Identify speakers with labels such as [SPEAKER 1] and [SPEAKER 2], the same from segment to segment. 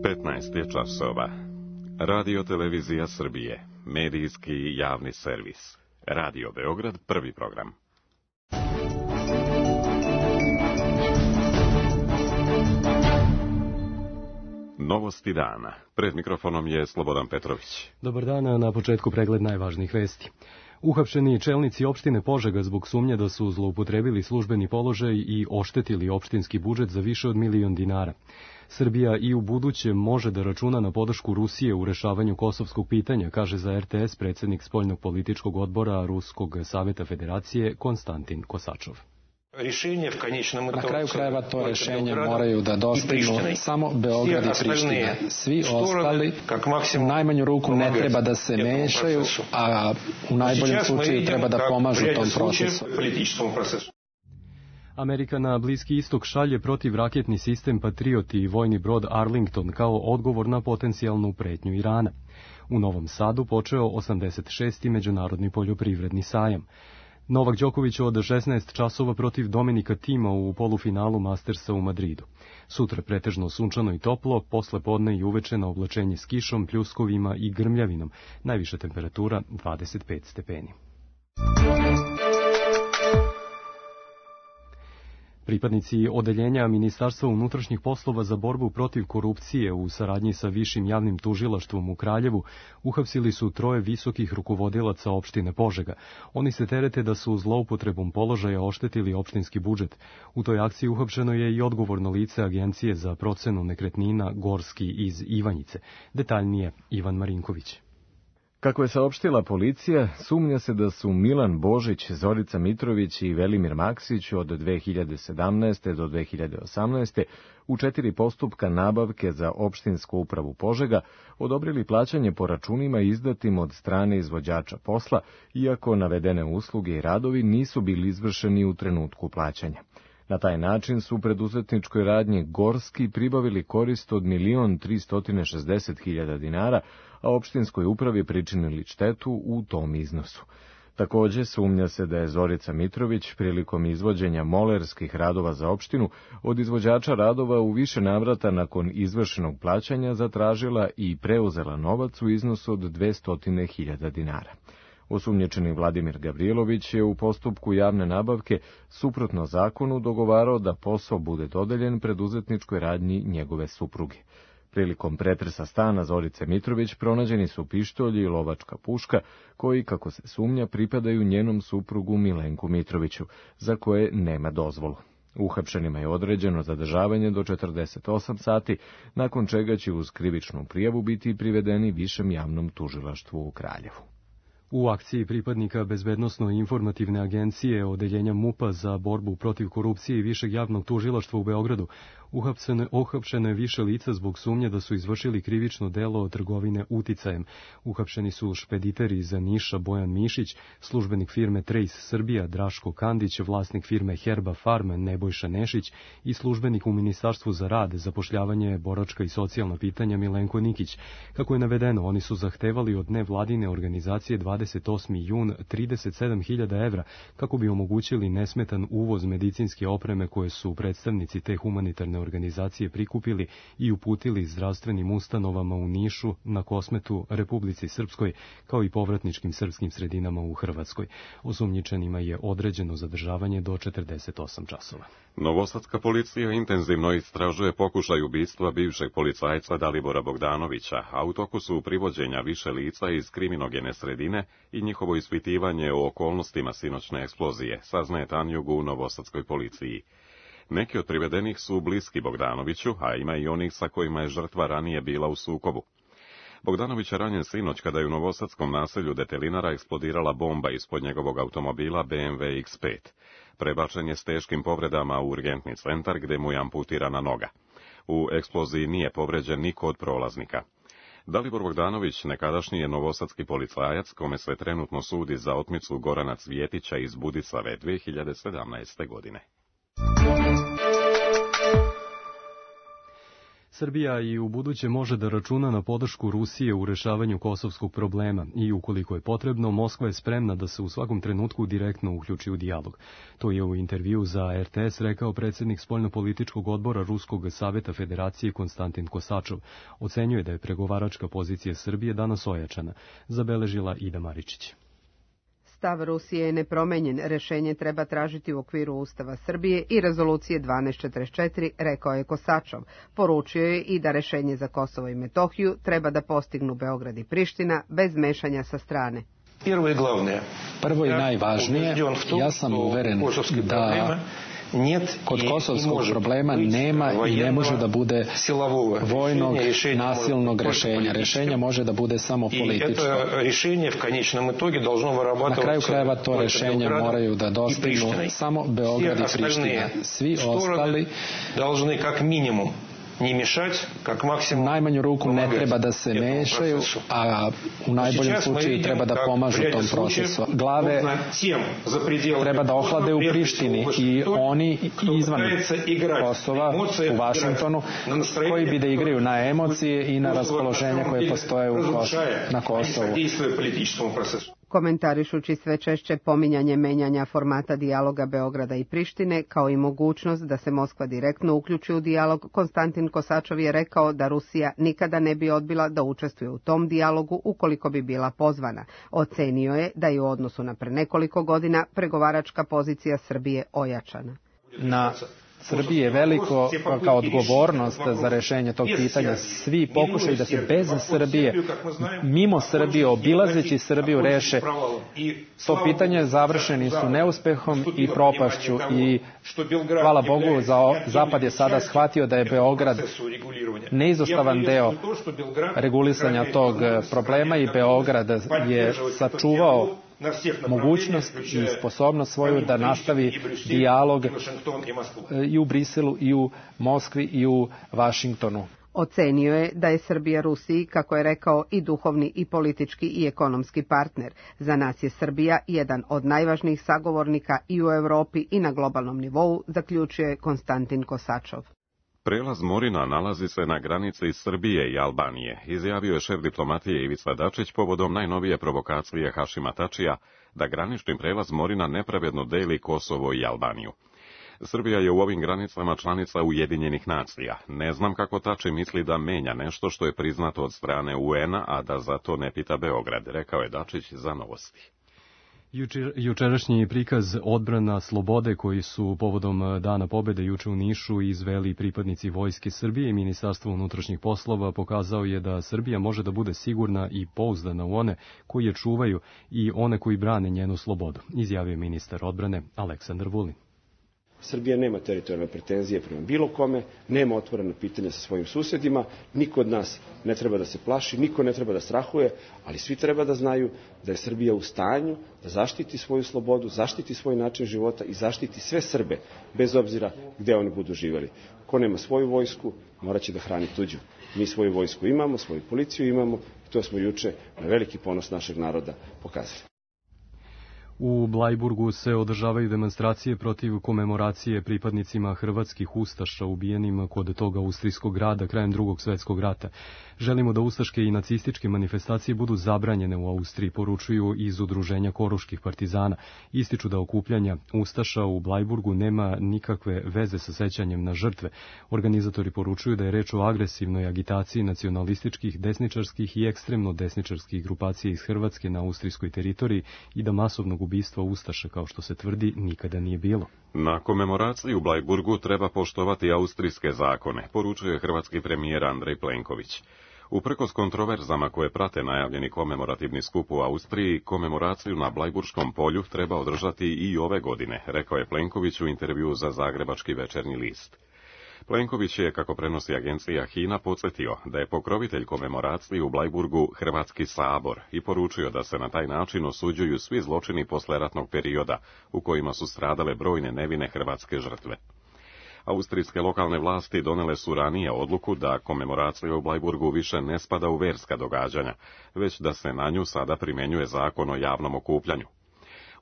[SPEAKER 1] 15 je časova. Radio Televizija Srbije, medijski javni servis. Radio Beograd, prvi program. Novosti dana. Pred mikrofonom je Slobodan Petrović.
[SPEAKER 2] Dobar dan, na početku pregled najvažnijih vesti. Uhapšeni čelnici opštine Požega zbog sumnje da su zloupotrebili službeni položaj i oštetili opštinski budžet za više od 1.000.000 dinara. Srbija i u buduće može da računa na podršku Rusije u rešavanju kosovskog pitanja, kaže za RTS predsjednik spoljnog političkog odbora Ruskog saveta federacije Konstantin Kosačov.
[SPEAKER 3] Na kraju krajeva to rešenje moraju da dostignu samo Beograd i Priština. Svi ostali u najmanju ruku ne treba da se mešaju, a u najboljem slučaju treba da pomažu tom procesu.
[SPEAKER 2] Amerika na Bliski istok šalje protivraketni sistem Patriot i vojni brod Arlington kao odgovor na potencijalnu pretnju Irana. U Novom Sadu počeo 86. međunarodni poljoprivredni sajam. Novak Đoković od 16 časova protiv Dominika Tima u polufinalu Mastersa u Madridu. Sutra pretežno sunčano i toplo, posle podne i uveče na oblačenje s kišom, pljuskovima i grmljavinom. Najviša temperatura 25 stepeni. Pripadnici odeljenja Ministarstva unutrašnjih poslova za borbu protiv korupcije u saradnji sa Višim javnim tužilaštvom u Kraljevu uhapsili su 3 visokih rukovodilaca opštine Požega. Oni se terete da su zloupotrebom položaja oštetili opštinski budžet. U toj akciji uhapšeno je i odgovorno lice Agencije za procenu nekretnina Gorski iz Ivanjice. Detaljnije Ivan Marinković.
[SPEAKER 4] Kako je saopštila policija, sumnja se da su Milan Božić, Zorica Mitrović i Velimir Maksić od 2017. do 2018. u 4 postupka nabavke za opštinsku upravu Požega odobrili plaćanje po računima izdatim od strane izvođača posla, iako navedene usluge i radovi nisu bili izvršeni u trenutku plaćanja. Na taj način su preduzetničkoj radnji Gorski pribavili korist od 1.360.000 dinara, a opštinskoj upravi pričinili štetu u tom iznosu. Takođe, sumnja se da je Zorica Mitrović prilikom izvođenja molerskih radova za opštinu od izvođača radova u više navrata nakon izvršenog plaćanja zatražila i preuzela novac u iznosu od 200.000 dinara. Osumnjičeni Vladimir Gavrilović je u postupku javne nabavke suprotno zakonu dogovarao da posao bude dodeljen preduzetničkoj radnji njegove supruge. Prilikom pretresa stana Zorice Mitrović pronađeni su pištolji i lovačka puška koji, kako se sumnja, pripadaju njenom suprugu Milenku Mitroviću, za koje nema dozvolu. Uhapšenima je određeno zadržavanje do 48 sati, nakon čega će uz krivičnu prijavu biti privedeni Višem javnom tužilaštvu u Kraljevu.
[SPEAKER 2] U akciji pripadnika Bezbednosno-informativne agencije Odeljenja MUP-a za borbu protiv korupcije i Višeg javnog tužilaštva u Beogradu uhapšeno je više lica zbog sumnje da su izvršili krivično delo trgovine uticajem. Uhapšeni su špediter iz Niša Bojan Mišić, službenik firme Trace Srbija Draško Kandić, vlasnik firme Herba Farm Nebojša Nešić i službenik u Ministarstvu za rad, zapošljavanje, boračka i socijalna pitanja Milenko Nikić. Kako je navedeno, oni su zahtevali od nevladine organizacije 28. jun 37.000 evra kako bi omogućili nesmetan uvoz medicinske opreme koje su predstavnici te humanitarne organizacije prikupili i uputili zdravstvenim ustanovama u Nišu, na Kosmetu, Republici Srpskoj, kao i povratničkim srpskim sredinama u Hrvatskoj. Osumnjičenima je određeno zadržavanje do 48 časova.
[SPEAKER 1] Novosadska policija intenzivno istražuje pokušaj ubistva bivšeg policajca Dalibora Bogdanovića, a u toku su privođenja više lica iz kriminogene sredine i njihovo ispitivanje o okolnostima sinoćne eksplozije, saznaje Tanjug u Novosadskoj policiji. Neki od privedenih su bliski Bogdanoviću, a ima i onih sa kojima je žrtva ranije bila u sukobu. Bogdanović je ranjen sinoć kada je u novosadskom naselju Detelinara eksplodirala bomba ispod njegovog automobila BMW X5. Prebačen je s teškim povredama u urgentni centar gde mu je amputirana noga. U eksploziji nije povređen niko od prolaznika. Dalibor Bogdanović, nekadašnji je novosadski policajac, kome se trenutno sudi za otmicu Gorana Cvjetića iz Budisave 2017. godine.
[SPEAKER 2] Srbija i u buduće može da računa na podršku Rusije u rešavanju kosovskog problema i ukoliko je potrebno, Moskva je spremna da se u svakom trenutku direktno uključi u dijalog. To je u intervju za RTS rekao predsjednik spoljnopolitičkog odbora Ruskog saveta Federacije Konstantin Kosačov. Ocenjuje da je pregovaračka pozicija Srbije danas ojačana, zabeležila Ida Maričić.
[SPEAKER 5] Stav Rusije je nepromenjen, rešenje treba tražiti u okviru Ustava Srbije i rezolucije 1244, rekao je Kosačov. Poručio je i da rešenje za Kosovo i Metohiju treba da postignu Beograd i Priština bez mešanja sa strane.
[SPEAKER 3] Prvo i najvažnije, ja sam uveren da kod kosovskog problema nema i ne može da bude vojnog, nasilnog rešenja. Rešenje može da bude samo političko. Na kraju krajeva to rešenje moraju da dostignu samo Beograd i Priština. Svi ostali u najmanju ruku ne treba da se mešaju, a u najboljem slučaju treba da pomažu tom procesu. Glave treba da ohlade u Prištini i oni izvan Kosova, u Vašingtonu, koji bi da igraju na emocije i na raspoloženja koje postoje na Kosovu.
[SPEAKER 5] Komentarišući sve češće pominjanje menjanja formata dijaloga Beograda i Prištine, kao i mogućnost da se Moskva direktno uključi u dijalog, Konstantin Kosačov je rekao da Rusija nikada ne bi odbila da učestvuje u tom dijalogu ukoliko bi bila pozvana. Ocenio je da je u odnosu na pre nekoliko godina pregovaračka pozicija Srbije ojačana.
[SPEAKER 3] Na Srbiji je veliko kao odgovornost za rešenje tog pitanja. Svi pokušaju da se bez Srbije, mimo Srbije, obilazeći Srbiju, reše to pitanje. Završeni su neuspehom i propašću i hvala Bogu, Zapad je sada shvatio da je Beograd neizostavan deo regulisanja tog problema i Beograd je sačuvao mogućnost i sposobnost svoju da nastavi dijalog i u Briselu, i u Moskvi, i u Vašingtonu.
[SPEAKER 5] Ocenio je da je Srbija Rusiji, kako je rekao, i duhovni i politički i ekonomski partner. Za nas je Srbija jedan od najvažnijih sagovornika i u Europi i na globalnom nivou, zaključio je Konstantin Kosačov.
[SPEAKER 1] Prelaz Morina nalazi se na granici Srbije i Albanije, izjavio je šef diplomatije Ivica Dačić povodom najnovije provokacije Hašima Tačija da granični prelaz Morina nepravedno deli Kosovo i Albaniju. Srbija je u ovim granicama članica Ujedinjenih nacija. Ne znam kako Tači misli da menja nešto što je priznato od strane UN-a, a da za to ne pita Beograd, rekao je Dačić za Novosti.
[SPEAKER 2] Jučerašnji prikaz odbrana slobode koji su povodom Dana pobede juče u Nišu izveli pripadnici Vojske Srbije i Ministarstva unutrašnjih poslova pokazao je da Srbija može da bude sigurna i pouzdana u one koji je čuvaju i one koji brane njenu slobodu, izjavio ministar odbrane Aleksandar Vulin.
[SPEAKER 6] Srbija nema teritorijalne pretenzije prema bilo kome, nema otvoreno pitanje sa svojim susedima, niko od nas ne treba da se plaši, niko ne treba da strahuje, ali svi treba da znaju da je Srbija u stanju da zaštiti svoju slobodu, zaštiti svoj način života i zaštiti sve Srbe, bez obzira gde oni budu živeli. Ko nema svoju vojsku, morat će da hrani tuđu. Mi svoju vojsku imamo, svoju policiju imamo i to smo juče na veliki ponos našeg naroda pokazali.
[SPEAKER 2] U Blajburgu se održavaju demonstracije protiv komemoracije pripadnicima hrvatskih ustaša ubijenim kod toga austrijskog grada krajem Drugog svjetskog rata. Želimo da ustaške i nacističke manifestacije budu zabranjene u Austriji, poručuju iz udruženja koruških partizana. Ističu da okupljanja ustaša u Blajburgu nema nikakve veze sa sećanjem na žrtve. Organizatori poručuju da je reč o agresivnoj agitaciji nacionalističkih, desničarskih i ekstremno desničarskih grupacija iz Hrvatske na austrijskoj teritoriji i da masovnog ubistva ustaša, kao što se tvrdi, nikada nije bilo.
[SPEAKER 1] Na komemoraciji u Blajburgu treba poštovati austrijske zakone, poručuje hrvatski premijer Andrej Plenković. Uprkos kontroverzama koje prate najavljeni komemorativni skup u Austriji, komemoraciju na Blajburškom polju treba održati i ove godine, rekao je Plenković u intervjuu za Zagrebački večernji list. Plenković je, kako prenosi agencija HINA, podsjetio da je pokrovitelj komemoracije u Blajburgu Hrvatski sabor i poručio da se na taj način osuđuju svi zločini posleratnog perioda u kojima su stradale brojne nevine hrvatske žrtve. Austrijske lokalne vlasti donele su ranije odluku da komemoracija u Blajburgu više ne spada u verska događanja, već da se na nju sada primjenjuje zakon o javnom okupljanju.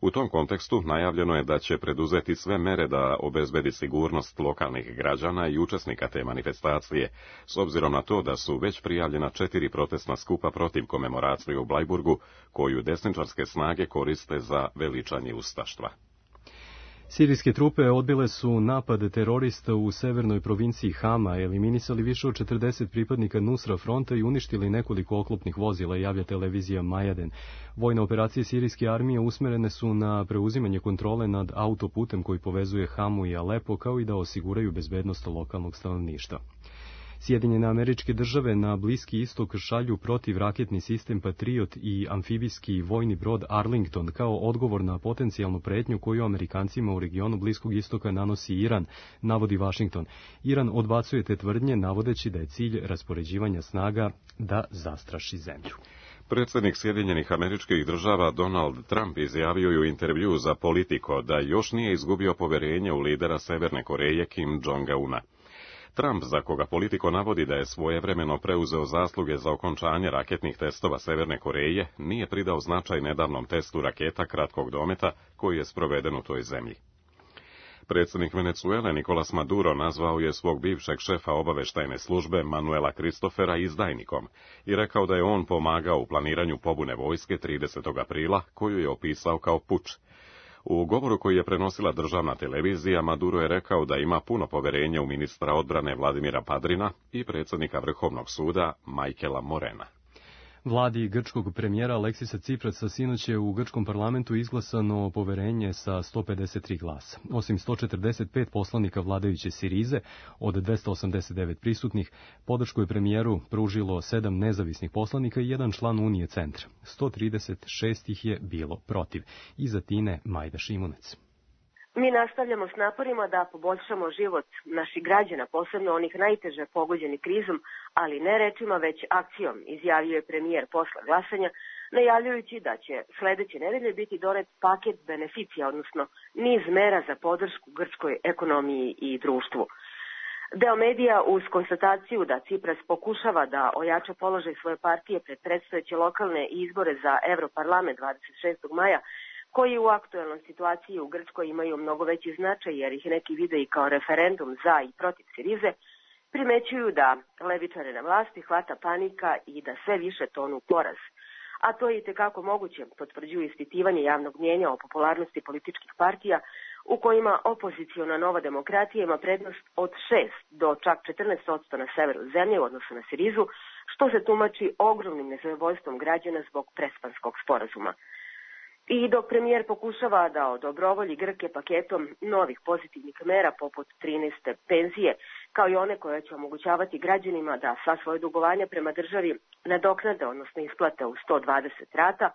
[SPEAKER 1] U tom kontekstu najavljeno je da će preduzeti sve mere da obezbedi sigurnost lokalnih građana i učesnika te manifestacije, s obzirom na to da su već prijavljena 4 protestna skupa protiv komemoracije u Blajburgu, koju desničarske snage koriste za veličanje ustaštva.
[SPEAKER 2] Sirijske trupe odbile su napad terorista u severnoj provinciji Hama, eliminisali više od 40 pripadnika Nusra fronta i uništili nekoliko oklopnih vozila, javlja televizija Majaden. Vojne operacije sirijske armije usmerene su na preuzimanje kontrole nad autoputem koji povezuje Hamu i Alepo, kao i da osiguraju bezbednost lokalnog stanovništva. Sjedinjene Američke Države na Bliski istok šalju protivraketni sistem Patriot i amfibijski vojni brod Arlington kao odgovor na potencijalnu pretnju koju Amerikancima u regionu Bliskog istoka nanosi Iran, navodi Washington. Iran odbacuje te tvrdnje, navodeći da je cilj raspoređivanja snaga da zastraši zemlju.
[SPEAKER 1] Predsjednik Sjedinjenih Američkih Država Donald Trump izjavio je u intervjuu za Politico da još nije izgubio poverenje u lidera Severne Koreje Kim Jong-una. Trump, za koga Politico navodi da je svojevremeno preuzeo zasluge za okončanje raketnih testova Severne Koreje, nije pridao značaj nedavnom testu raketa kratkog dometa koji je sproveden u toj zemlji. Predsjednik Venezuele Nicolas Maduro nazvao je svog bivšeg šefa obaveštajne službe Manuela Christofera izdajnikom i rekao da je on pomagao u planiranju pobune vojske 30. aprila, koju je opisao kao puč. U govoru koji je prenosila državna televizija, Maduro je rekao da ima puno poverenja u ministra odbrane Vladimira Padrina i predsjednika Vrhovnog suda Michaela Morena.
[SPEAKER 2] Vladi grčkog premijera Aleksisa Ciprasa sinoć je u grčkom parlamentu izglasano poverenje sa 153 glasa. Osim 145 poslanika vladajuće Sirize, od 289 prisutnih, podršku je premijeru pružilo 7 nezavisnih poslanika i 1 član Unije centra. 136 ih je bilo protiv. Iza Tine Majda Šimunec.
[SPEAKER 7] Mi nastavljamo s naporima da poboljšamo život naših građana, posebno onih najteže pogođeni krizom, ali ne rečima, već akcijom, izjavio je premijer posle glasanja, najavljujući da će sledeće nedelje biti donet paket beneficija, odnosno niz mera za podršku grčkoj ekonomiji i društvu. Deo medija uz konstataciju da Cipras pokušava da ojača položaj svoje partije pred predstojeće lokalne izbore za Evroparlament 26. maja, koji u aktuelnoj situaciji u Grčkoj imaju mnogo veći značaj jer ih neki vide i kao referendum za i protiv Sirize, primećuju da levičare na vlasti hvata panika i da sve više tonu poraz. A to je i tekako moguće, potvrđuju ispitivanje javnog mnjenja o popularnosti političkih partija u kojima opoziciona Nova demokratija ima prednost od 6 do čak 14% na severu zemlje u odnosu na Sirizu, što se tumači ogromnim nezadovoljstvom građana zbog prespanskog sporazuma. I dok premijer pokušava da odobrovolji Grke paketom novih pozitivnih mera poput 13. penzije, kao i one koje će omogućavati građanima da sva svoje dugovanja prema državi nadoknade, odnosno isplate u 120 rata,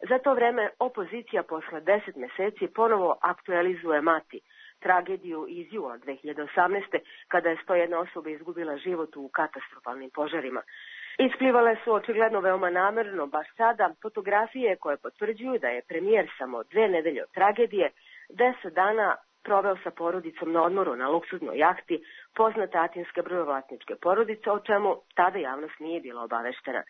[SPEAKER 7] za to vreme opozicija posle 10 meseci ponovo aktualizuje Mati, tragediju iz jula 2018. kada je 101 osoba izgubila život u katastrofalnim požarima. Isplivale su očigledno veoma namerno baš sada fotografije koje potvrđuju da je premijer samo 2 nedelje od tragedije 10 dana proveo sa porodicom na odmoru na luksuznoj jahti poznate atinske brodovlasničke porodice, o čemu tada javnost nije bila obaveštena.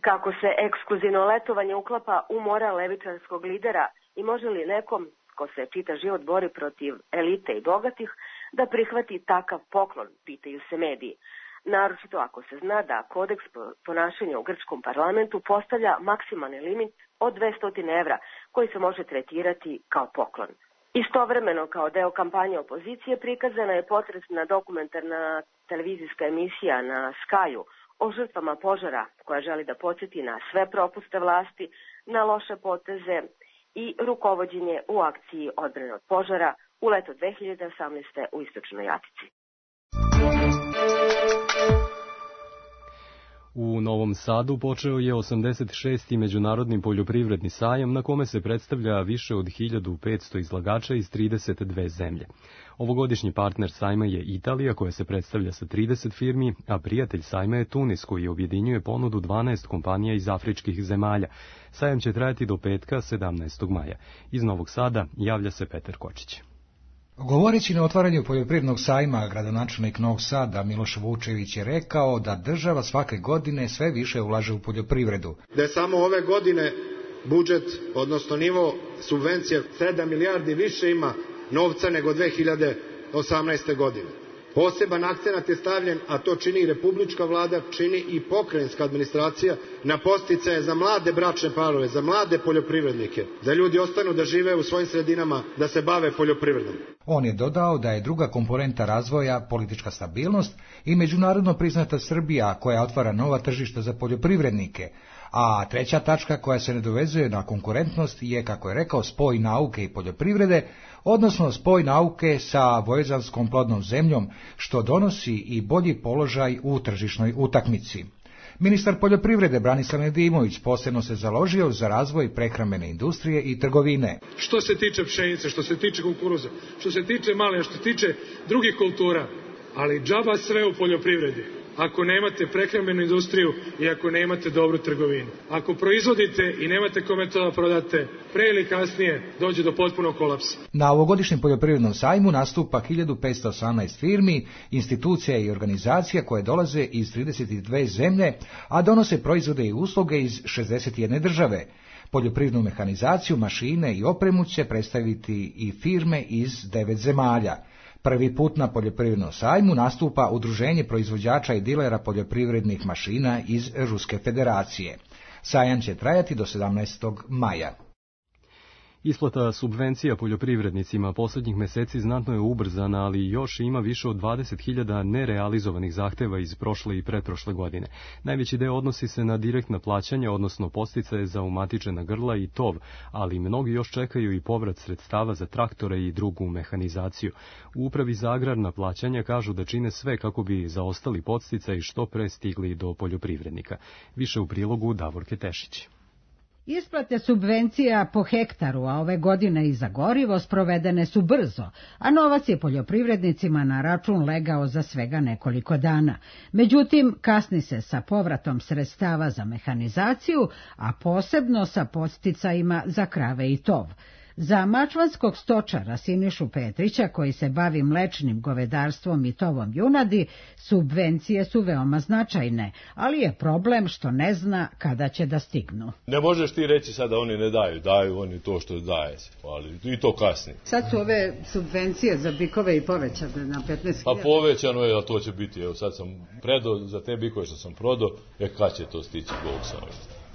[SPEAKER 7] Kako se ekskluzivno letovanje uklapa u moral levičarskog lidera i može li nekom ko se čita život bori protiv elite i bogatih da prihvati takav poklon, pitaju se mediji. Naročito ako se zna da kodeks ponašanja u grčkom parlamentu postavlja maksimalni limit od 200 evra koji se može tretirati kao poklon. Istovremeno, kao deo kampanje opozicije, prikazana je potresna dokumentarna televizijska emisija na Skyu o žrtvama požara koja želi da podsjeti na sve propuste vlasti, na loše poteze i rukovođenje u akciji odbrane od požara u leto 2018. u Istočnoj Atici.
[SPEAKER 2] U Novom Sadu počeo je 86. međunarodni poljoprivredni sajam na kome se predstavlja više od 1500 izlagača iz 32 zemlje. Ovogodišnji partner sajma je Italija koja se predstavlja sa 30 firmi, a prijatelj sajma je Tunis koji objedinjuje ponudu 12 kompanija iz afričkih zemalja. Sajam će trajati do petka 17. maja. Iz Novog Sada javlja se Petar Kočić.
[SPEAKER 8] Govoreći na otvaranju poljoprivrednog sajma, gradonačelnik Novog Sada Miloš Vučević je rekao da država svake godine sve više ulaže u poljoprivredu.
[SPEAKER 9] Da je samo ove godine budžet, odnosno nivo subvencija 7 milijardi više ima novca nego 2018. godine. Poseban akcenat je stavljen, a to čini i republička vlada, čini i pokrajinska administracija, na podsticaje za mlade bračne parove, za mlade poljoprivrednike, da ljudi ostanu da žive u svojim sredinama, da se bave poljoprivredom.
[SPEAKER 8] On je dodao da je druga komponenta razvoja politička stabilnost i međunarodno priznata Srbija koja otvara nova tržišta za poljoprivrednike, a treća tačka koja se nadovezuje na konkurentnost je, kako je rekao, spoj nauke i poljoprivrede, odnosno spoj nauke sa vojezanskom plodnom zemljom, što donosi i bolji položaj u tržišnoj utakmici. Ministar poljoprivrede Branislav Nedimović posebno se založio za razvoj prehrambene industrije i trgovine.
[SPEAKER 10] Što se tiče pšenice, što se tiče kukuruza, što se tiče malina, što se tiče drugih kultura, ali džaba sve u poljoprivredi. Ako nemate prehrambenu industriju i ako nemate dobru trgovinu. Ako proizvodite i nemate kome to da prodate, pre ili kasnije dođe do potpunog kolapsa.
[SPEAKER 8] Na ovogodišnjem poljoprivrednom sajmu nastupa 1518 firmi, institucija i organizacija koje dolaze iz 32 zemlje, a donose proizvode i usluge iz 61 države. Poljoprivrednu mehanizaciju, mašine i opremu će predstaviti i firme iz 9 zemalja. Prvi put na poljoprivrednom sajmu nastupa Udruženje proizvođača i dilera poljoprivrednih mašina iz Ruske federacije. Sajam će trajati do 17. maja.
[SPEAKER 2] Isplata subvencija poljoprivrednicima posljednjih meseci znatno je ubrzana, ali još ima više od 20.000 nerealizovanih zahteva iz prošle i pretprošle godine. Najveći deo odnosi se na direktna plaćanja, odnosno podsticaje za umatičena grla i tov, ali mnogi još čekaju i povrat sredstava za traktore i drugu mehanizaciju. U Upravi za agrarna plaćanja kažu da čine sve kako bi zaostali podsticaji što pre stigli do poljoprivrednika. Više u prilogu Davorke Tešić.
[SPEAKER 11] Isplate subvencija po hektaru, a ove godine i za gorivo, sprovedene su brzo, a novac je poljoprivrednicima na račun legao za svega nekoliko dana. Međutim, kasni se sa povratom sredstava za mehanizaciju, a posebno sa podsticajima za krave i tov. Za mačvanskog stočara Sinišu Petrića, koji se bavi mlečnim govedarstvom i tovom junadi, subvencije su veoma značajne, ali je problem što ne zna kada će da stignu.
[SPEAKER 12] Ne možeš ti reći sad da oni ne daju, daju oni to što daje se, ali i to kasni.
[SPEAKER 11] Sad su ove subvencije za bikove i povećane na 15.000.
[SPEAKER 12] Pa povećano je, a to će biti, evo sad sam predao za te bikove što sam prodao, kad će to stići, Bog sam.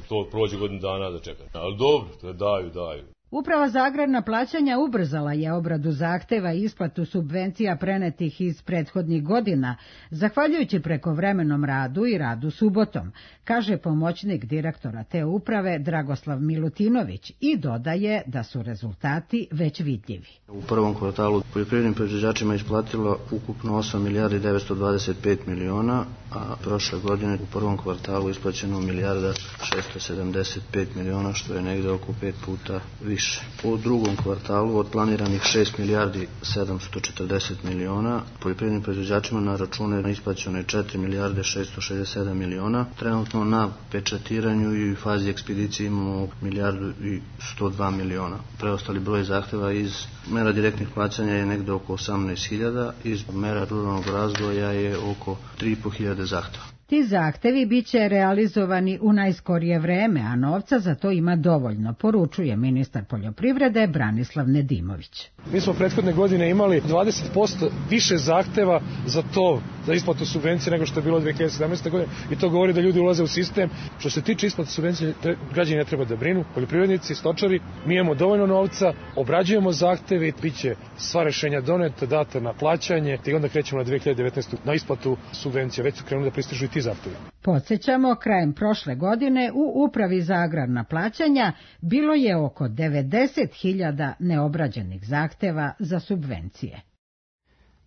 [SPEAKER 12] To prođe godinu dana da čekam, ali dobro, daju.
[SPEAKER 11] Uprava za agrarna plaćanja ubrzala je obradu zahteva i isplatu subvencija prenetih iz prethodnih godina, zahvaljujući prekovremenom radu i radu subotom, kaže pomoćnik direktora te uprave Dragoslav Milutinović i dodaje da su rezultati već vidljivi.
[SPEAKER 13] U prvom kvartalu poljoprivrednim proizvođačima isplatilo ukupno 8 milijardi 925 miliona, a prošle godine u prvom kvartalu isplaćeno milijarda 675 miliona, što je negde oko 5 puta više. U drugom kvartalu od planiranih 6 milijardi 740 miliona, poljoprivrednim proizvođačima na račune isplaćeno je 4 milijarde 667 miliona. Trenutno na pečatiranju i fazi ekspedicije imamo milijardu i 102 miliona. Preostali broj zahteva iz mera direktnih plaćanja je negde oko 18.000, iz mera ruralnog razvoja je oko 3.500 zahteva.
[SPEAKER 11] Ti zahtevi bit će realizovani u najskorije vreme, a novca za to ima dovoljno, poručuje ministar poljoprivrede Branislav Nedimović.
[SPEAKER 10] Mi smo prethodne godine imali 20% više zahteva za to, za isplatu subvencije nego što je bilo 2017. godine i to govori da ljudi ulaze u sistem. Što se tiče isplate subvencije, građani ne treba da brinu, poljoprivrednici, stočari, mi imamo dovoljno novca, obrađujemo zahteve i bit će sva rešenja doneta, data na plaćanje i onda krećemo na 2019. na isplatu subvencija. Već su krenuli da pristižu i ti zahtevi.
[SPEAKER 11] Podsjećamo, krajem prošle godine u Upravi za agrarna plaćanja bilo je oko 90.000 neobrađenih zahteva za subvencije.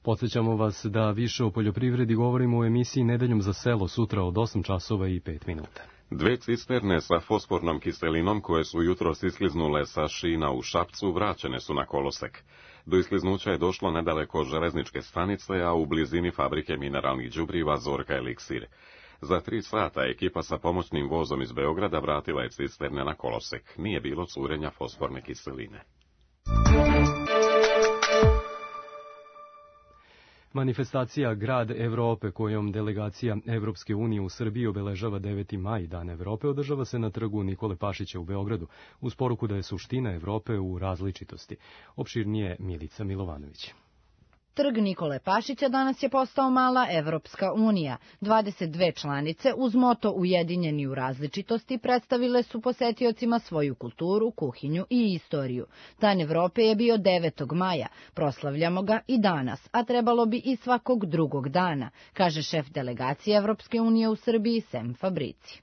[SPEAKER 2] Podsjećamo vas da više o poljoprivredi govorimo u emisiji Nedeljom za selo sutra od 8 časova i 5 minuta.
[SPEAKER 1] 2 cisterne sa fosfornom kiselinom koje su jutros iskliznule sa šina u Šapcu vraćene su na kolosek. Do iskliznuća je došlo nedaleko železničke stanice, a u blizini fabrike mineralnih đubriva Zorka Eliksir. Za 3 sata ekipa sa pomoćnim vozom iz Beograda vratila je cisterne na kolosek. Nije bilo curenja fosforne kiseline.
[SPEAKER 2] Manifestacija Grad Evrope, kojom delegacija Evropske unije u Srbiji obeležava 9. maj, Dan Evrope, održava se na trgu Nikole Pašića u Beogradu, uz poruku da je suština Evrope u različitosti. Opširnije Milica Milovanović.
[SPEAKER 14] Trg Nikole Pašića danas je postao mala Evropska unija. 22 članice uz moto Ujedinjeni u različitosti predstavile su posetiocima svoju kulturu, kuhinju i istoriju. Dan Evrope je bio 9. maja. Proslavljamo ga i danas, a trebalo bi i svakog drugog dana, kaže šef delegacije Evropske unije u Srbiji Sem Fabrici.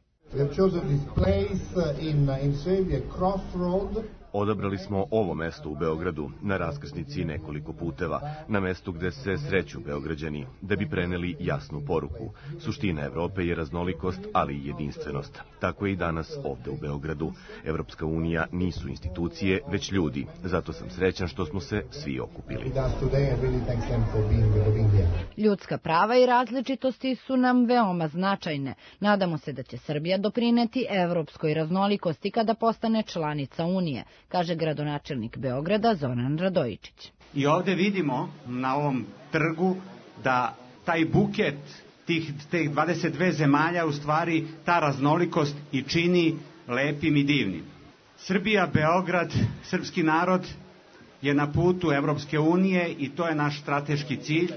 [SPEAKER 15] Odabrali smo ovo mesto u Beogradu, na raskrsnici nekoliko puteva, na mestu gde se sreću Beograđani, da bi preneli jasnu poruku. Suština Evrope je raznolikost, ali i jedinstvenost. Tako je i danas ovde u Beogradu. Evropska unija nisu institucije, već ljudi. Zato sam srećan što smo se svi okupili.
[SPEAKER 14] Ljudska prava i različitosti su nam veoma značajne. Nadamo se da će Srbija doprineti evropskoj raznolikosti kada postane članica Unije, kaže gradonačelnik Beograda Zoran Radojičić.
[SPEAKER 16] I ovde vidimo na ovom trgu da taj buket tih 22 zemalja u stvari ta raznolikost i čini lepim i divnim. Srbija, Beograd, srpski narod je na putu Evropske unije i to je naš strateški cilj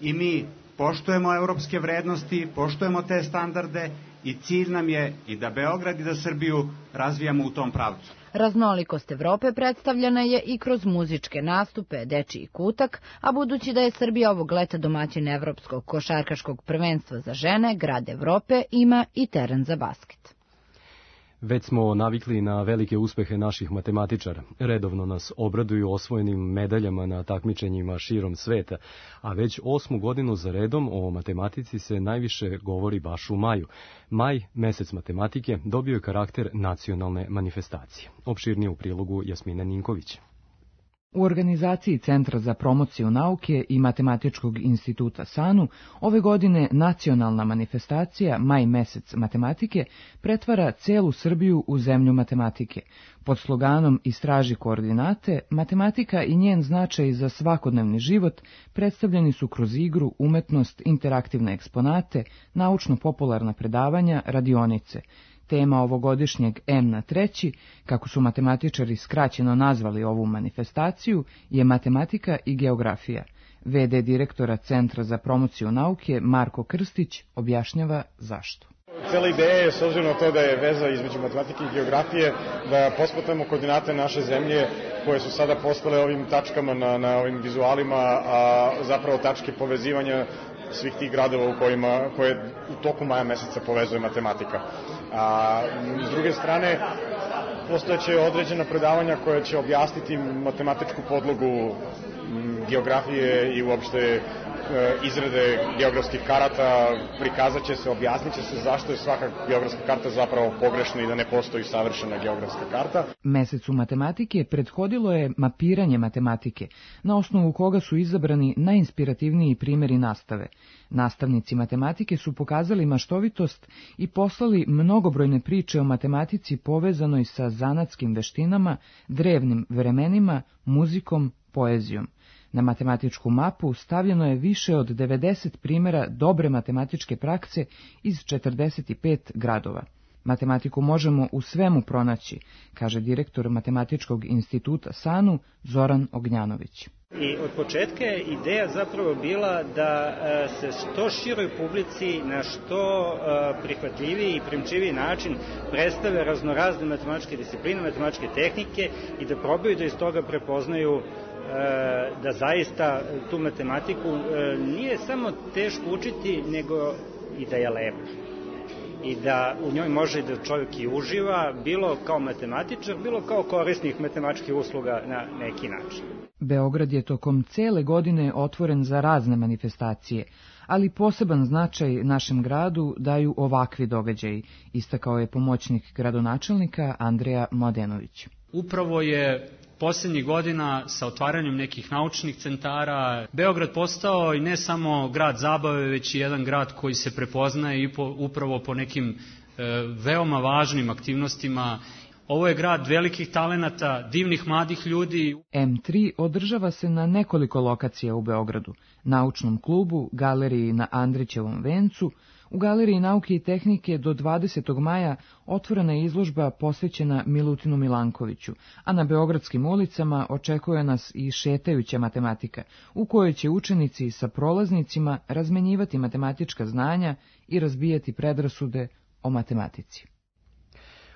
[SPEAKER 16] i mi poštujemo evropske vrednosti, poštujemo te standarde i cilj nam je i da Beograd i da Srbiju razvijamo u tom pravcu.
[SPEAKER 14] Raznolikost Evrope predstavljena je i kroz muzičke nastupe, dečiji kutak, a budući da je Srbija ovog leta domaćin Evropskog košarkaškog prvenstva za žene, Grad Evrope ima i teren za basket.
[SPEAKER 2] Već smo navikli na velike uspehe naših matematičara. Redovno nas obraduju osvojenim medaljama na takmičenjima širom sveta, a već 8. godinu za redom o matematici se najviše govori baš u maju. Maj, mesec matematike, dobio je karakter nacionalne manifestacije. Opširnije u prilogu Jasmine Ninković.
[SPEAKER 17] U organizaciji Centra za promociju nauke i Matematičkog instituta SANU ove godine nacionalna manifestacija Maj mesec matematike pretvara celu Srbiju u zemlju matematike. Pod sloganom Istraži koordinate, matematika i njen značaj za svakodnevni život predstavljeni su kroz igru, umetnost, interaktivne eksponate, naučno-popularna predavanja, radionice. Tema ovogodišnjeg M na 3, kako su matematičari skraćeno nazvali ovu manifestaciju, je matematika i geografija. VD direktora Centra za promociju nauke Marko Krstić objašnjava zašto.
[SPEAKER 18] Cela ideja je, s obzirom na to da je veza između matematike i geografije, da posmatramo koordinate naše zemlje koje su sada postale ovim tačkama na ovim vizualima, a zapravo tačke povezivanja svih tih gradova koje u toku maja meseca povezuje matematika. A s druge strane, postojeće određena predavanja koja će objasniti matematičku podlogu geografije i uopšte izrade geografskih karata, prikazat će se, objasnit će se zašto je svaka geografska karta zapravo pogrešna i da ne postoji savršena geografska karta.
[SPEAKER 17] Mesecu matematike prethodilo je mapiranje matematike, na osnovu koga su izabrani najinspirativniji primjeri nastave. Nastavnici matematike su pokazali maštovitost i poslali mnogobrojne priče o matematici povezanoj sa zanatskim veštinama, drevnim vremenima, muzikom, poezijom. Na matematičku mapu stavljeno je više od 90 primjera dobre matematičke prakse iz 45 gradova. Matematiku možemo u svemu pronaći, kaže direktor Matematičkog instituta SANU Zoran Ognjanović.
[SPEAKER 19] I od početka je ideja zapravo bila da se što široj publici na što prihvatljiviji i primčiviji način predstave raznorazne matematičke discipline, matematičke tehnike i da probaju da iz toga prepoznaju da zaista tu matematiku nije samo teško učiti, nego i da je lepa. I da u njoj može da čovjek i uživa, bilo kao matematičar, bilo kao korisnik matematičkih usluga na neki način.
[SPEAKER 17] Beograd je tokom cele godine otvoren za razne manifestacije, ali poseban značaj našem gradu daju ovakvi događaji, istakao je pomoćnik gradonačelnika Andreja Mladenović.
[SPEAKER 20] Upravo je posljednjih godina sa otvaranjem nekih naučnih centara Beograd postao i ne samo grad zabave, već i jedan grad koji se prepoznaje i upravo po nekim veoma važnim aktivnostima. Ovo je grad velikih talenata, divnih mladih ljudi.
[SPEAKER 17] M3 održava se na nekoliko lokacija u Beogradu, naučnom klubu, galeriji na Andrićevom vencu, u Galeriji nauke i tehnike do 20. maja otvorena je izložba posvećena Milutinu Milankoviću, a na beogradskim ulicama očekuje nas i šetajuća matematika, u kojoj će učenici sa prolaznicima razmenjivati matematička znanja i razbijati predrasude o matematici.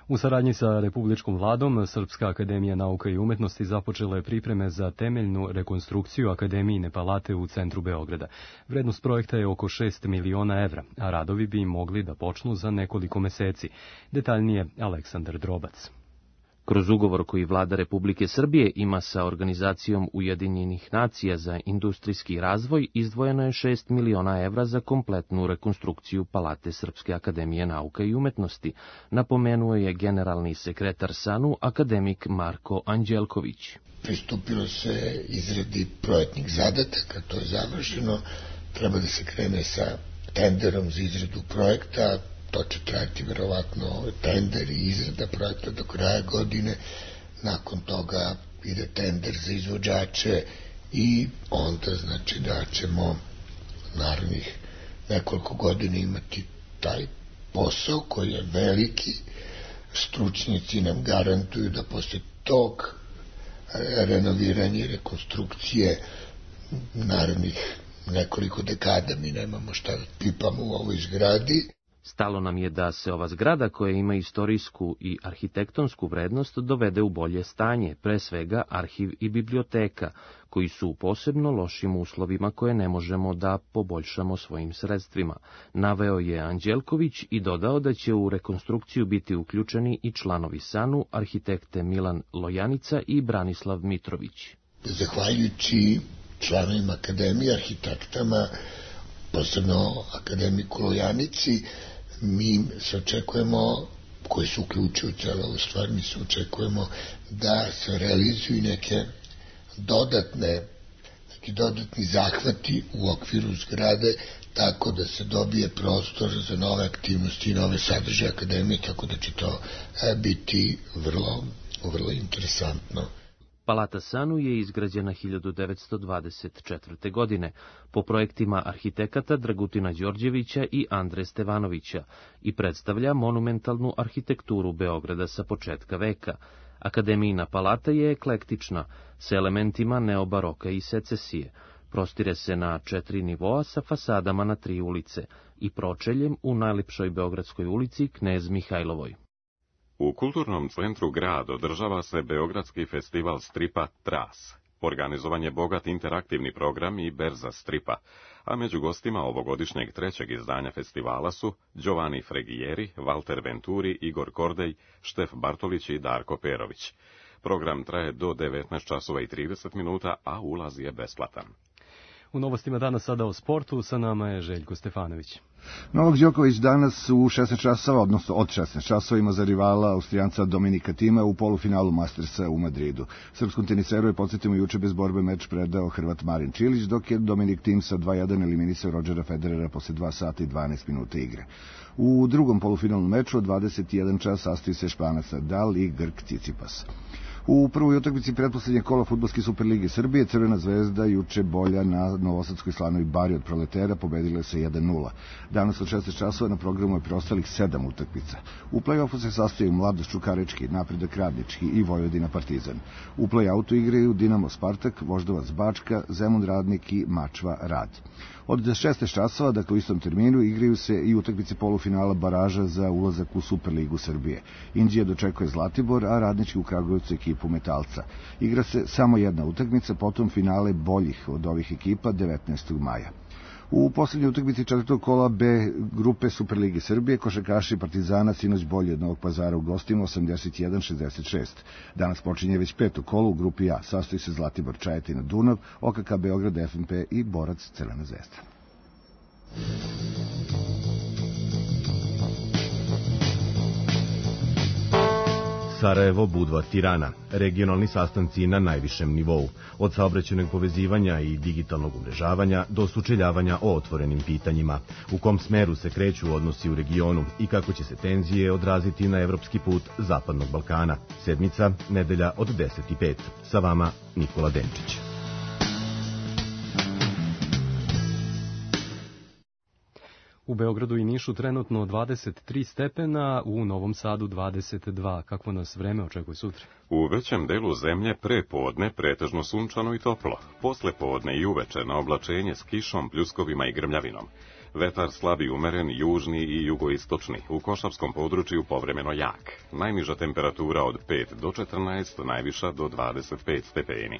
[SPEAKER 2] U saradnji sa Republičkom vladom, Srpska akademija nauka i umetnosti započela je pripreme za temeljnu rekonstrukciju Akademijine palate u centru Beograda. Vrednost projekta je oko 6 miliona evra, a radovi bi mogli da počnu za nekoliko meseci. Detaljnije Aleksandar Drobac.
[SPEAKER 21] Kroz ugovor koji vlada Republike Srbije ima sa Organizacijom Ujedinjenih nacija za industrijski razvoj, izdvojeno je 6 miliona evra za kompletnu rekonstrukciju Palate Srpske akademije nauka i umetnosti, napomenuo je generalni sekretar SANU, akademik Marko Anđelković.
[SPEAKER 22] Pristupilo se izradi projektnih zadataka, to je završeno, treba da se krene sa tenderom za izradu projekta. To će trajati verovatno tender i izrada projekta do kraja godine. Nakon toga ide tender za izvođače i onda znači da ćemo narednih nekoliko godina imati taj posao koji je veliki. Stručnjaci nam garantuju da posle tog renoviranja i rekonstrukcije narednih nekoliko dekada mi nemamo šta da pipamo u ovoj zgradi.
[SPEAKER 21] Stalo nam je da se ova zgrada, koja ima istorijsku i arhitektonsku vrednost, dovede u bolje stanje, pre svega arhiv i biblioteka, koji su u posebno lošim uslovima koje ne možemo da poboljšamo svojim sredstvima, naveo je Anđelković i dodao da će u rekonstrukciju biti uključeni i članovi SANU, arhitekte Milan Lojanica i Branislav Mitrović.
[SPEAKER 22] Zahvaljujući članovima akademije, arhitektama, posebno akademiku Lojanici, mi se očekujemo, koji su uključuju celo ovu stvar, mi se očekujemo da se realizuju neki dodatni zahvati u okviru zgrade, tako da se dobije prostor za nove aktivnosti i nove sadržaje akademije, tako da će to biti vrlo interesantno.
[SPEAKER 21] Palata SANU je izgrađena 1924. godine po projektima arhitekata Dragutina Đorđevića i Andre Stevanovića i predstavlja monumentalnu arhitekturu Beograda sa početka veka. Akademijina palata je eklektična, sa elementima neobaroka i secesije. Prostire se na 4 nivoa sa fasadama na 3 ulice i pročeljem u najlepšoj Beogradskoj ulici Knez Mihajlovoj.
[SPEAKER 1] U kulturnom centru grad održava se Beogradski festival stripa Tras. Organizovan je bogat interaktivni program i berza stripa, a među gostima ovogodišnjeg 3. izdanja festivala su Giovanni Fregijeri, Walter Venturi, Igor Kordej, Štef Bartolić i Darko Perović. Program traje do 19 časova i 30 minuta, a ulaz je besplatan.
[SPEAKER 2] U novostima danas sada o sportu, sa nama je Željko Stefanović.
[SPEAKER 23] Novak Đoković danas u 16 časova, odnosno od 16 časova, ima za rivala Austrijanca Dominika Tima u polufinalu Mastersa u Madridu. Srpskom teniseru je, podsjetimo, juče bez borbe meč predao Hrvat Marin Čilić, dok je Dominik Tim sa 2:1 eliminisao Rodgera Federera posle 2 sata i 12 minuta igre. U drugom polufinalu meču od 21 čas sastoji se Španac Nadal i Grk Cicipas. U prvoj utakmici pretposlednjeg kola Fudbalske Superlige Srbije Crvena zvezda juče bolja na novosadskoj Slanovi Bari od Proletera pobedila se 1:0. Danas od 16 časova na programu je preostalih 7 utakmica. U play-offu se sastaju Mladost Čukarički, Napredak Radnički i Vojvodina Partizan. U play-outu igraju Dinamo Spartak, Voždovac Bačka, Zemun Radnik i Mačva Rad. Od 16 časova, dakle u istom terminu, igraju se i utakmice polufinala baraža za ulazak u Superligu Srbije. Inđija dočekuje Zlatibor, a Radnički u Kragujevcu ekipu Metalca. Igra se samo jedna utakmica, potom finale boljih od ovih ekipa 19. maja. U poslednjoj utakmici 4. kola B grupe Superlige Srbije košarkaši Partizana sinoć bolje od Novog Pazara u gostima 81-66. Danas počinje već 5. kolo u grupi A. Sastoji se Zlatibor, Čajetina, Dunav, OKK Beograd, FNP i Borac Crvena zvezda.
[SPEAKER 15] Sarajevo, Budva, Tirana, regionalni sastanci na najvišem nivou, od saobraćajnog povezivanja i digitalnog umrežavanja do sučeljavanja o otvorenim pitanjima, u kom smeru se kreću odnosi u regionu i kako će se tenzije odraziti na evropski put Zapadnog Balkana. Sedmica, nedelja od 10:05. Sa vama Nikola Denčić.
[SPEAKER 2] U Beogradu i Nišu trenutno 23 stepena, u Novom Sadu 22. Kakvo nas vreme očekuje sutra?
[SPEAKER 1] U većem delu zemlje pre podne pretežno sunčano i toplo. Posle podne i uveče na oblačenje s kišom, pljuskovima i grmljavinom. Vetar slabi umeren, južni i jugoistočni, u košarskom području povremeno jak. Najniža temperatura od 5 do 14, najviša do 25 stepeni.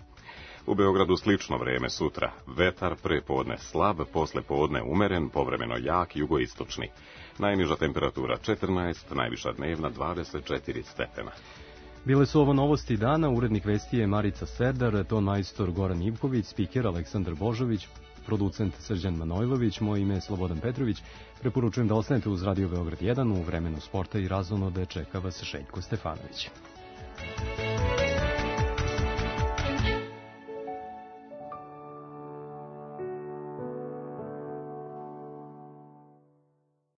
[SPEAKER 1] U Beogradu slično vreme sutra. Vetar pre podne slab, posle podne umeren, povremeno jak, jugoistočni. Najniža temperatura 14, najviša dnevna 24 stepena.
[SPEAKER 2] Bile su ovo novosti dana, urednik vesti je Marica Serdar, ton majstor Goran Ivković, spiker Aleksandar Božović, producent Srđan Manojlović, moje ime je Slobodan Petrović. Preporučujem da ostanete uz Radio Beograd 1 u vremenu sporta i razonode čeka vas Željko Stefanović.